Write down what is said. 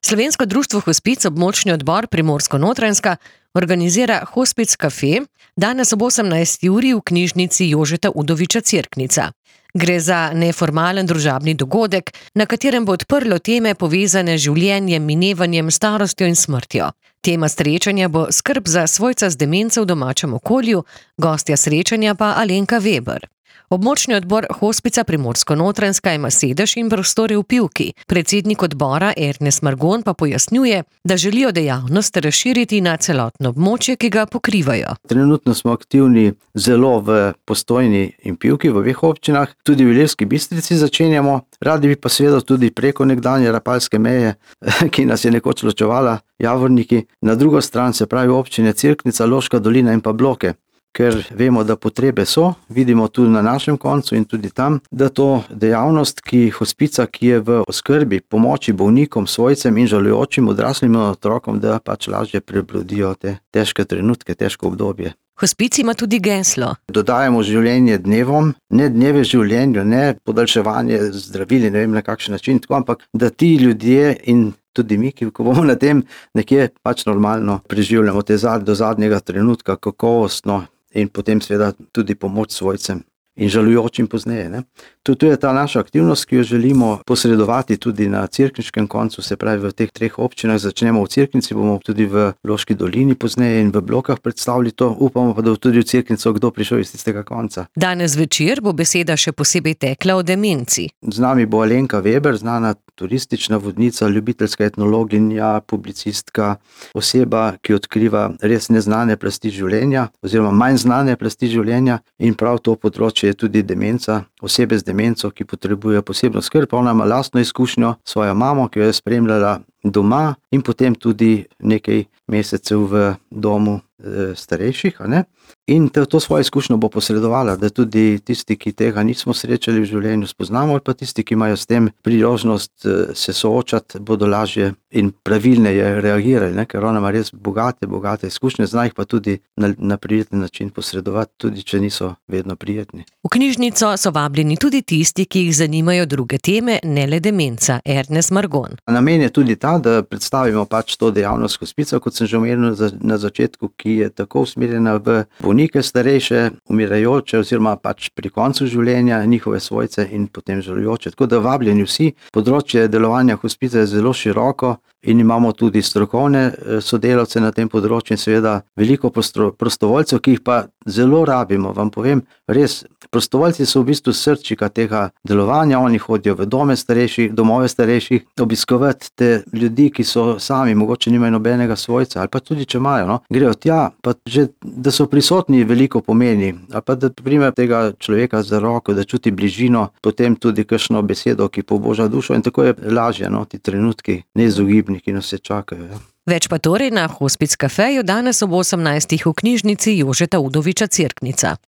Slovensko društvo Hospic območni odbor Primorsko-Notranjska organizira Hospic Cafe danes ob 18. uri v knjižnici Jožeta Udoviča Cerknica. Gre za neformalen družabni dogodek, na katerem bo odprlo teme povezane z življenjem, minevanjem, starostjo in smrtjo. Tema srečanja bo skrb za svojca z demenco v domačem okolju, gostja srečanja pa Alenka Veber. Območni odbor Hospica Primorsko-Notranjska ima sedež in prostore v Pivki. Predsednik odbora Ernest Margon pa pojasnjuje, da želijo dejavnost razširiti na celotno območje, ki ga pokrivajo. Trenutno smo aktivni zelo v Postojni in Pivki, v obeh občinah, tudi v Ilirski Bistrici začenjamo. Radi bi pa seveda tudi preko nekdanje rapalske meje, ki nas je nekoč ločevala, Javorniki, na drugo stran, se pravi občine Cerknica, Loška dolina in pa Bloke. Ker vemo, da potrebe so, vidimo tudi na našem koncu in tudi tam, da to dejavnost, hospica, ki je v oskrbi, pomoči bolnikom, svojcem in žalujočim odraslim otrokom, da pač lažje prebrodijo te težke trenutke, težko obdobje. Hospic ima tudi geslo. Dodajamo življenje dnevom, ne dneve življenju, ne podaljševanje zdravili, ne vem na kakšen način, tako, ampak da ti ljudje in tudi mi, ko bomo na tem nekje pač normalno preživljamo te do zadnjega trenutka, kakovostno in potem seveda tudi pomoč svojcem in žalujočim pozneje. Ne? To je ta naša aktivnost, ki jo želimo posredovati tudi na cerkniškem koncu, se pravi v teh treh občinah. Začnemo v Cerknici, bomo tudi v Loški dolini pozneje in v Blokah predstavili to. Upamo pa, da bo tudi v Cerknico kdo prišel iz tistega konca. Danes večer bo beseda še posebej tekla o demenci. Z nami bo Alenka Veber, znana turistična vodnica, ljubiteljska etnologinja, publicistka, oseba, ki odkriva res neznane plasti življenja oziroma manj znane plasti življenja, in prav to področje je tudi demenca, osebe z demenco, ki potrebujejo posebno skrb. Ona ima lastno izkušnjo, svojo mamo, ki jo je spremljala doma in potem tudi nekaj mesecev v domu starejših. In to svojo izkušnjo bo posredovala, da tudi tisti, ki tega nismo srečali v življenju, spoznamo, ali pa tisti, ki imajo s tem priložnost se soočati, bodo lažje in pravilneje reagirali, ker ona ima res bogate izkušnje, zna jih pa tudi na prijeten način posredovati, tudi če niso vedno prijetni. V knjižnico so vabljeni tudi tisti, ki jih zanimajo druge teme, ne le demenca. Ernest Margon. Namen je tudi ta, da predstavimo pač to dejavnost hospica, kot sem že omenil na začetku, ki je tako usmerjena v bolnike starejše, umirajoče oziroma pač pri koncu življenja, njihove svojce in potem žalujoče. Tako da vabljeni vsi. Področje delovanja hospica je zelo široko in imamo tudi strokovne sodelavce na tem področju in seveda veliko prostovoljcev, ki jih pa zelo rabimo. Vam povem, res, prostovoljci so v bistvu srčika tega delovanja. Oni hodijo v domove starejših, obiskovati te ljudi, ki so sami, mogoče nimajo nobenega svojca, ali pa tudi če imajo, grejo tja, pa že, da so prisotni, veliko pomeni. Ali pa da prime tega človeka za roko, da čuti bližino, potem tudi kakšno besedo, ki poboža dušo, in tako je lažje, ti trenutki neizogibni, ki nas se čakajo. Več pa torej na Hospic Cafeju danes ob 18. v knjižnici Jožeta Udoviča Cerknica.